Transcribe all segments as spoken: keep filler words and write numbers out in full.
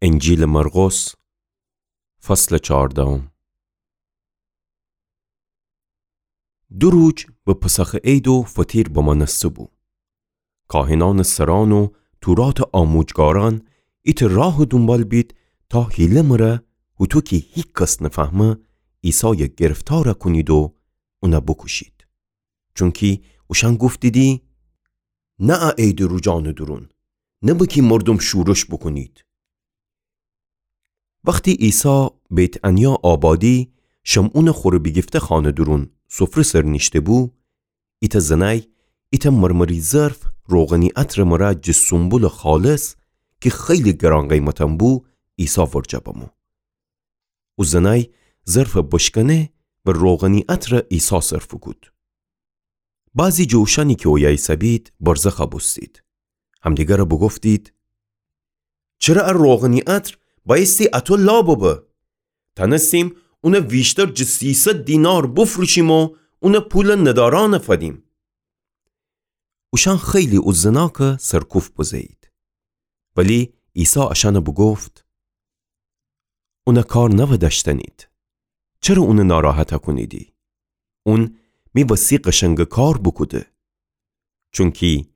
انجیلٚ مرقس، فصلٚ چهاردهم. دو روج به پسخٚ عید و فطیر بمأنسته بو. کاهنأنٚ سرأن و توراتٚ آموجگارأن ایتأ راهٚ دونبال بید تا حیله مره، هوطو کی هیکس نفهمه، عیسای گرفتار کونید و اون بوکوشید. چونکی اوشأن گفتیدی: نه ا عیدٚ روجأنٚ دورون، نبه کی مردوم شورش بوکونید. وختی عیسی بیت‌عنیا آبادی، شمعونٚ خوره بیگیفته خانه دورون سفره سر نیشته بو، ایتأ زنأی ایتأ مرمری ظرف روغنی عطرٚ مره جٚه سونبولٚ خالص کی خیلی گران قیمتأن بو، عیسی ورجه بمو. او زنأی ظرف بشکنه و روغنی عطر عیسی سر فوکود. بعضی جٚه اوشأنی کی اویه ایسه‌بید برزخ بوستید. همدیگر بوگفتید: چره ا روغنی عطر بأیستی اطو لا ببه؟ تأنستیم اون ویشتر جٚه سیصد دینار بفروشیم و اون پول ندارأن فدیم. اوشأن خیلی او زناک سرکوفت بزه‌یید. ولی عیسی اشأن بوگفت: اون کار نودأشتنید. چره اون ناراحت کونیدی؟ اون می وسی قشنگ کار بوکوده. چونکی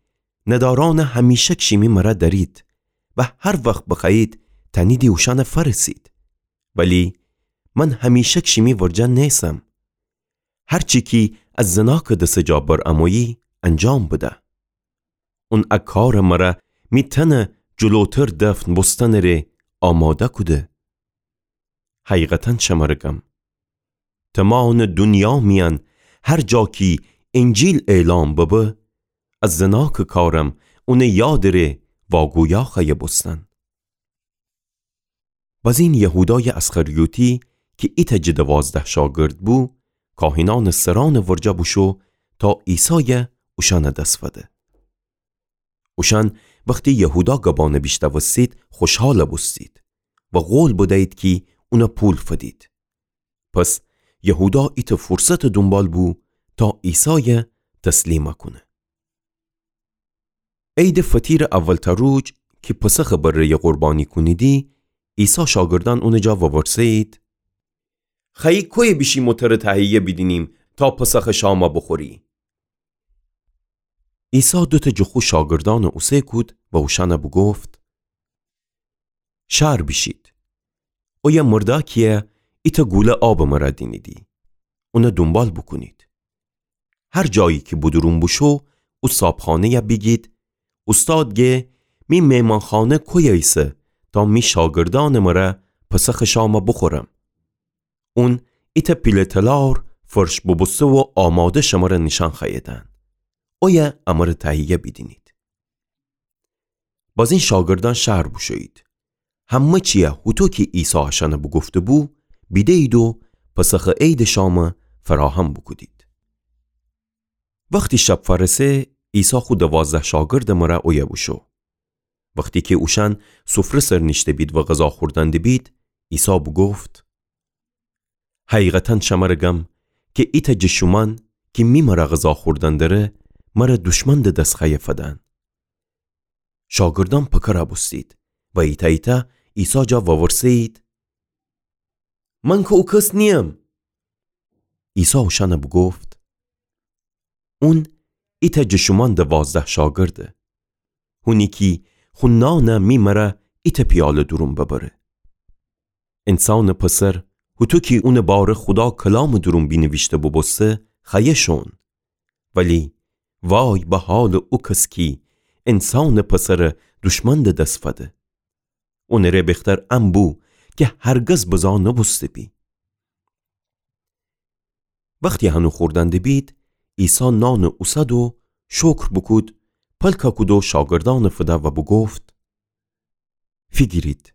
ندارأن همیشک شیمی مره دأرید و هر وخت بخوأیید تأنیدی اوشأن فأرسید. ولی من همیشک شیمی ورجه نیسم. هر چی کی ا زناکٚ دسٚ جا بر امویی، انجام بده. اون ا کارٚ مره می تن جلوتر دفن بوستنٚ ره آماده کوده. حقیقتاً شمره گم، تمامٚ دونیا میأن هر جا کی انجیل اعلام ببه، ا زناکٚ کارم اونٚ یادٚ ره واگویا خوأیه بوستن. بزین یهودایٚ اسخریوطی کی ایتأ جٚه دوازده شاگرد بو، کاهنأنٚ سرأنٚ ورجه بوشو تا عیسای اوشأنٚ دس فده. اوشأن وختی یهودا گبأن بیشنوستید، خوشحال بوستید و قول بدیید کی اون پول فدید. پس یهودا ایتأ فرصتٚ دونبال بو تا عیسای تسلیم کونه. عیدٚ فطیرٚ اولتأ روج کی پسخٚ بره‌یٚ قربانی کونیدی، عیسی شاگردأن اونٚ جا وورسه‌یید: خوأیی کویه بیشیم و تره تهیه بیدینیم تا پسخٚ شام بوخوری؟ عیسی دوتأ جٚه خو شاگردأن اوسه کود و اوشأن بوگفت: شهر بیشید. اویه مردأکیی ایتأ گوله آبٚ مره دینیدی. اون دونبال بوکونید. هر جایی کی بودورون بوشو، او صابخانه‌یه بیگید: اوستاد گه، می مهمانخانه کویه ایسه تا می شاگردأنٚ مره پسخٚ شام بوخورم؟ اون ایتأ پیله تلار فرش بوبوسته و آماده شمره نیشأن خوأییدن. اویه امره تهیه بیدینید. بازین شاگردأن شهر بوشویید. همه چیی هوطو کی عیسی اشأن بوگفته‌بو بیده‌یید و پسخٚ عیدٚ شام فراهم بوکودید. وختی شب فأرسه، عیسی خو دوازده شاگردٚ مره اویه بوشو. وختی کی اوشأن سفره سر نیشته‌بید و غذا خوردن دیبید، عیسی بوگفت: حقیقتاً شمره گم کی ایتأ جٚه شومأن کی می مره غذا خوردن دره، مره دوشمندٚ دس خوأیه فدن. شاگردأن پکر بوستید و ایتأ ایتأ عیسی جا وورسه‌یید: من کی او کس نییم. عیسی اوشأن بوگفت: اون ایتأ جٚه شومأن دوازده شاگرده. هونی کی خو نان می مره ایتأ پیاله دورون ببره. انسانٚ پسر، هوطو کی اونٚ باره خودا کلامٚ دورون بینیویشته بوبوسته، خوأیه شون. ولی وای به حالٚ او کس کی انسانٚ پسر دوشمندٚ دس فده. اونٚ ره بختر ان بو کی هرگز بزا نوبوسته‌بی. وختی هنو خوردن دیبید، عیسی نان اوسد و شکر بوکود، پلک کود و شاگردأن فده و بوگفت: فیگیرید،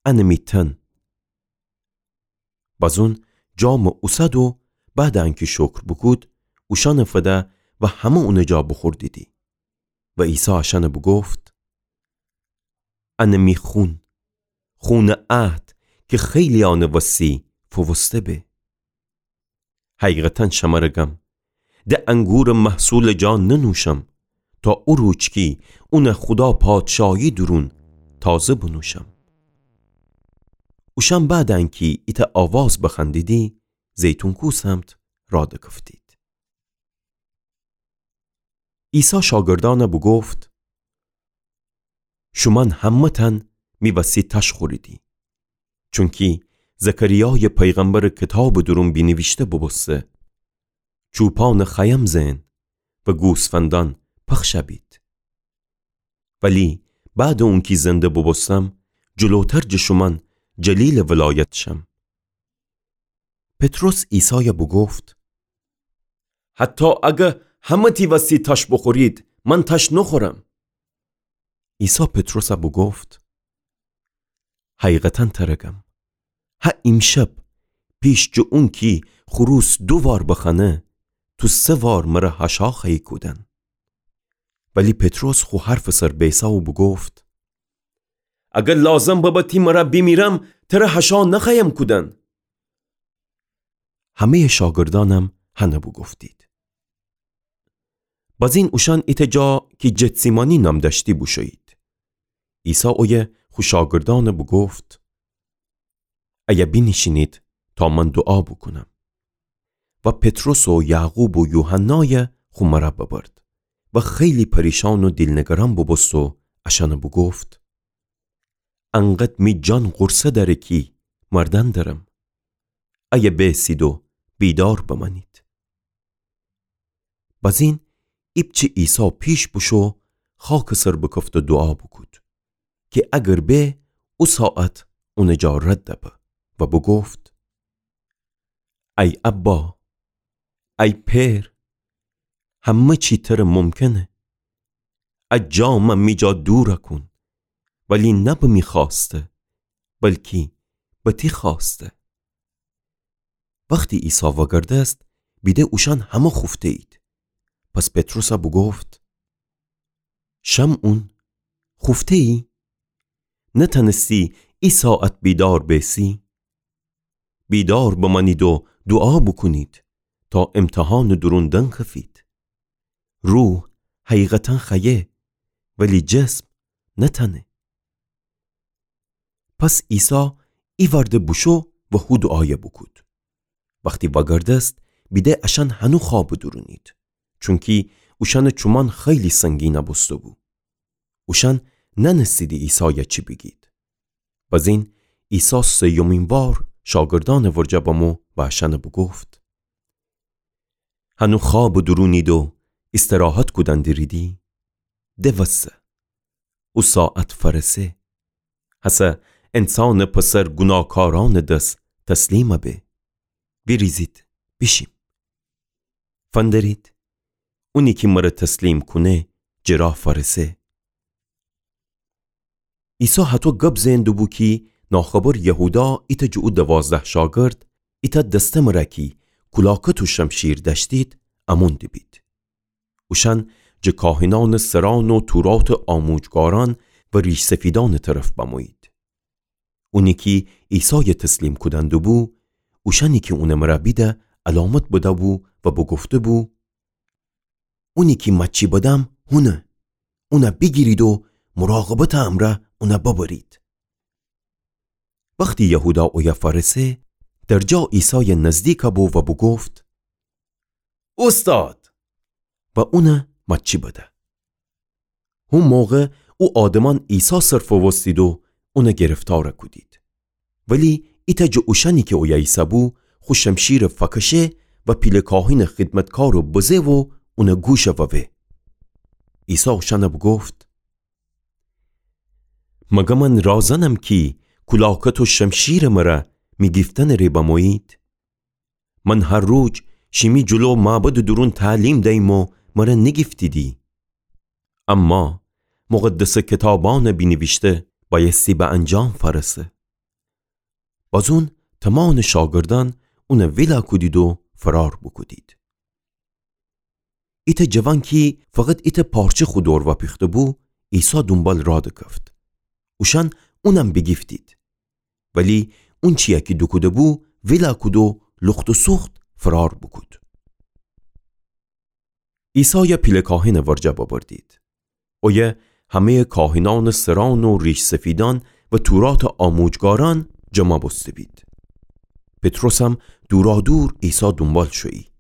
ان می تن. بازون جام اوسد و بعدٚ انکی شکر بوکود، اوشأن فده و همه اونٚ جا بوخوردیدی. و عیسی اشأن بوگفت: ان می خون، خونٚ عهد کی خیلیأنٚ وسی فووسته به. حقیقتاً شمره گم، د انگورٚ محصولٚ جا ننوشم، تا او روج کی اون خودا پادشاهی دورون تازه بنوشم. اوشأن بعد انکی ایتأ آواز بخوأندیدی، زیتون کوه سمت راه دکفتید. عیسی شاگردأن بوگفت: شومأن همه‌تأن می وسی تاش خوریدی. چونکی زکریایٚ پیغمبرٚ کیتابٚ دورون بینیویشته بوبوسته: چوپانٚ خیام زئن و گوسفندأن پخش بید. ولی بعدٚ اونکی زنده بوبوستم، جلوتر جٚه شومأن جلیلٚ ولایت شم. پطرس عیسای بوگفت: حتی اگر همه تی وسی تاش بوخورید، من تاش نوخورم. عیسی پطرس بوگفت: حقیقتا تر گم، هه ایمشب پیش جٚه اونکی خروس دو وار بخوأنه، تو سه وار مر حاشا خوأیی کودن. ولی پطرس خو حرفٚ سر بیسه و بوگفت: اگر لازم ببه تی مر بیمیرم، تر حاشا نخوأیم کودن. همه‌یٚ شاگردأنم هنه بوگفتید. بازین اوشأن ایتأ جا کی جتسیمانی نام دأشتی بوشویید. عیسی اویه خو شاگردأن بوگفت: ایه بینیشینید تا من دوعا بوکونم. و پطرس و یعقوب و یوحنای خو مر ببرد و خیلی پریشان و دیل‌نگران بوبوست و اشأن بوگفت: انقدر می جان غورصه دأره کی مردن درم. ایه بیسید و بیدار بمأنید. بازین ایپچه عیسی پیش بوشو، خاکٚ سر بکفت و دوعا بوکود کی اگر به، او ساعت اونٚ جا رد به و بوگفت: ای ابا، ای پئر، همه چی تر ممکنه. ا جام می جا دور کون، ولی نه به می خوأسته، بلکی به تی خوأسته. وختی عیسی وگردست، بیده اوشأن همه خوفته‌یید. پس پطرس بوگفت: شمعون، خوفته‌یی؟ نتأنستی ای ساعت بیدار بیسی؟ بیدار بمأنید و دوعا بوکونید تا امتحانٚ دورون دنکفید. روح حقیقتا خوأیه، ولی جسم نتأنه. پس عیسی ایوأرده بوشو و هو دوعای بوکود. وختی وگردست، بیده اشأن هنو خوابٚ دورونید، چونکی اوشأنٚ چومان خیلی سنگین بوسته‌بو. اوشأن نأنستیدی عیسای چی بیگید. بازین عیسی سیومین وار شاگردأنٚ ورجه بمو و اشأن بوگفت: هنو خوابٚ دورونید و استراحت کودن دیریدی؟ دوسه، او ساعت فأرسه. هسه انسانٚ پسر گوناهکارأنٚ دس تسلیم به. ویریزید بیشیم. فندرید، اونی کی مر تسلیم کونه، جٚه راه فأرسه. عیسی هطو گب زئن دوبو کی ناخبر یهودا ایتأ جٚه او دوازده شاگرد، ایتأ دسته مر کی کولاکت و شمشیر دأشتید، امون دیبید. اوشأن جٚه کاهنأنٚ سرأن و توراتٚ آموجگارأن و ریش‌سفیدأنٚ طرف بمویید. اونی کی عیسای تسلیم کودن دوبو، اوشأنی کی اونٚ مر بیده علامت بده‌بو و بوگفته‌بو: اونی کی ماچی بدم هونه، اون بیگیرید و مراقبتٚ امرأ اون ببرید. وختی یهودا اویه فأرسه، درجا عیسای نزدیک بو و بوگفت: اوستاد! و اون ماچی بده. هو موقع او آدمأن عیسی سر فووستید و اون گرفتار کودید. ولی ایتأ جٚه اوشأنی کی اویه ایسه‌بو، خو شمشیر فکشه و پیله کاهنٚ خدمتکار بزه و اون گوش ووه. عیسی اوشأن بوگفت: مگر من رازنم کی کولاکت و شمشیرٚ مر می گیفتنٚ ره بمویید؟ من هر روز شیمی جلو معبدٚ دورون تعلیم دیم و مر نیگیفتیدی. اما مقدسٚ کیتابأن بینیویشته بأیستی به انجام فأرسه. بازون تومانٚ شاگردأن اون ویلا کودید و فرار بوکودید. ایتأ جوان کی فقط ایتأ پارچه خو دور وأپیخته‌بو، عیسی دونبال راه دکفت. اوشأن اونم بیگیفتید. ولی اونچیی کی دوکوده‌بو ویلا کود و لخت و سوخت فرار بوکود. عیسای پیله کاهنٚ ورجه ببردید. اویه همه‌یٚ کاهنأنٚ سرأن و ریش‌سفیدأن و توراتٚ آموجگارأن جمع بوسته بید. پطرسم دورادور عیسی دونبال شویی،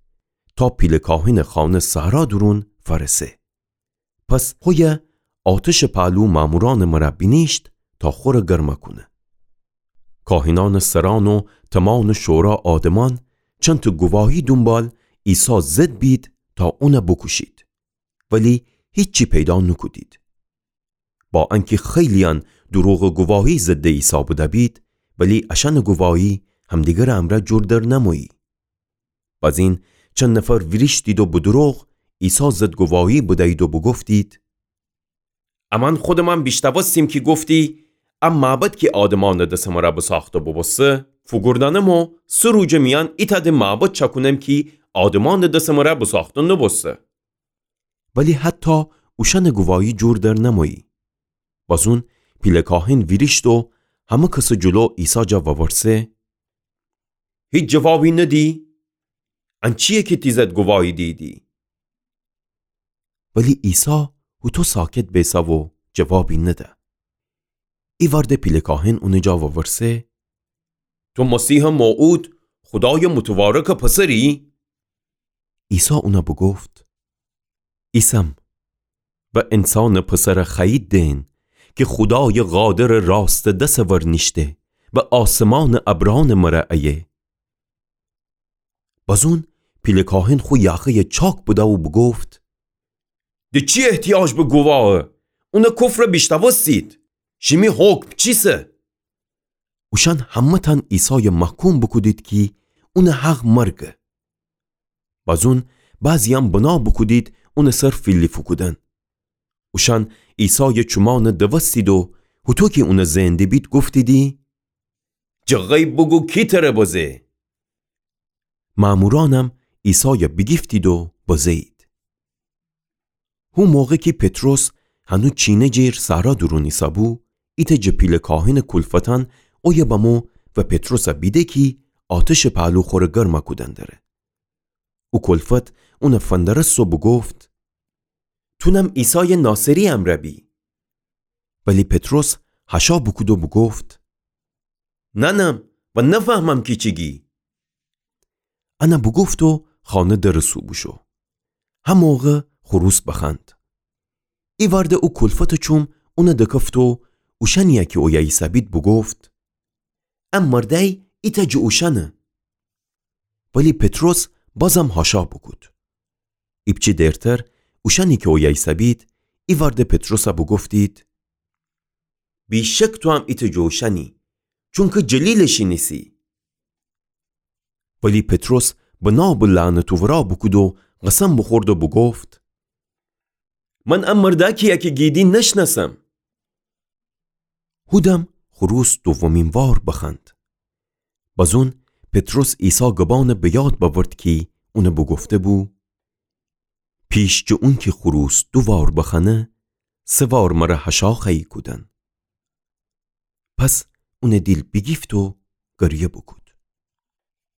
تا پیله کاهنٚ خانه صحرا دورون فأرسه. پس خویه آتشٚ پهلو مأمورأنٚ مرأ بینیشت تا خوره گرمه کونه. کاهنأنٚ سرأن و تمأنٚ شورا آدمأن چنتٚ گواهی دونبال عیسی ضد بید تا اونه بوکوشید، ولی هیچی پیدا نوکودید. با انکی خیلییأن دوروغٚ گواهی ضدٚ عیسی بدأ بید، ولی اشأنٚ گواهی همدیگرٚ امرأ جور در نمویی. بزین چند نفر ویریشتید و به دوروغ عیسی ضد گواهی بدیید و بوگفتید: امأن خودمأن بیشنوستیم کی گفتی: ا معبد کی آدمأنٚ دسٚ مرأ بساخته بوبوسته، فوگوردأنم و سه روجٚ میأن ایتأ د معبد چأکونم کی آدمأنٚ دسٚ مرأ بساخته نوبوسته. ولی حتی اوشأنٚ گواهی جور در نمویی. بزون پیله کاهن ویریشت و همه کسٚ جلو عیسی جا وورسه: هیچ جوابی ندی؟ ان چییه کی تی ضد گواهی دیدی؟ ولی عیسی هوطو ساکت بیسه و جوابی نده. ایوأرده پیله کاهن اونٚ جا وورسه: تو مسیحٚ موعود، خودایٚ متوارکٚ پسری؟ عیسی اون بوگفت: ایسم، و انسانٚ پسر خوأیید دئن کی خودایٚ قادرٚ راستٚ دسٚ ور نیشته و آسمانٚ ابرأنٚ مره ایه. بزون پیله کاهن خو یاخه‌یٚ چاک بده و بوگفت: د چی احتیاج به گواهه؟ اونٚ کفر بیشنوستید. شیمی حکم چیسه؟ اوشأن همه‌تأن عیسای محکوم بوکودید کی اونٚ حق مرگه. بزون بعضییأن بنا بوکودید اونٚ سر فیلی فوکودن. اوشأن عیسای چومأن دوستید و هوطو کی اون زئن دیبید گفتیدی: جٚه غیب بوگو کی تره بزه؟ مأمورأنم عیسای بیگیفتید و بزه‌یید. هو موقع کی پطرس هنو چینه جیر صحرا دورون ایسه‌بو، ایتأ جٚه پیله کاهنٚ کولفتأن اویه بمو و پطرس بیده کی آتشٚ پهلو خوره گرمه کودن دره. او کولفت اون فندرست و بوگفت: تونم عیسای ناصری امرأ بی. ولی پطرس هشا بوکود و بوگفت: نأنم و نفهمم کی چی گی. ان بوگفت و خانه درٚ سو بوشو. هموقع خروس بخوأند. ایوأرده او کولفتٚ چوم اون دکفت و اوشأنیی کی اویه ایسه‌بید بوگفت: ا مردأی ایتأ جٚه اوشأنه. ولی پطرس بازم هشا بوکود. ایپچه دیرتر اوشأنی کی اویه ایسه‌بید، ایوأرده پطرس بوگفتید: بی‌شک توام ایتأ جٚه اوشأنی، چونکی جلیلٚ شینیسی. ولی پطرس بنا به لعنت اورا بوکود و قسم بوخورد و بوگفت: من ا مردأ کییه کی گیدی نشنأسم. هودم خروس دومین وار بخوأند. بزون پطرس عیسی گبأن به یاد بأورد کی اون بوگفته‌بو: پیش جٚه اونکی خروس دو وار بخوأنه، سه وار مر هشا خوأیی کودن. پس اون دیل بیگیفت و گریه بوکود.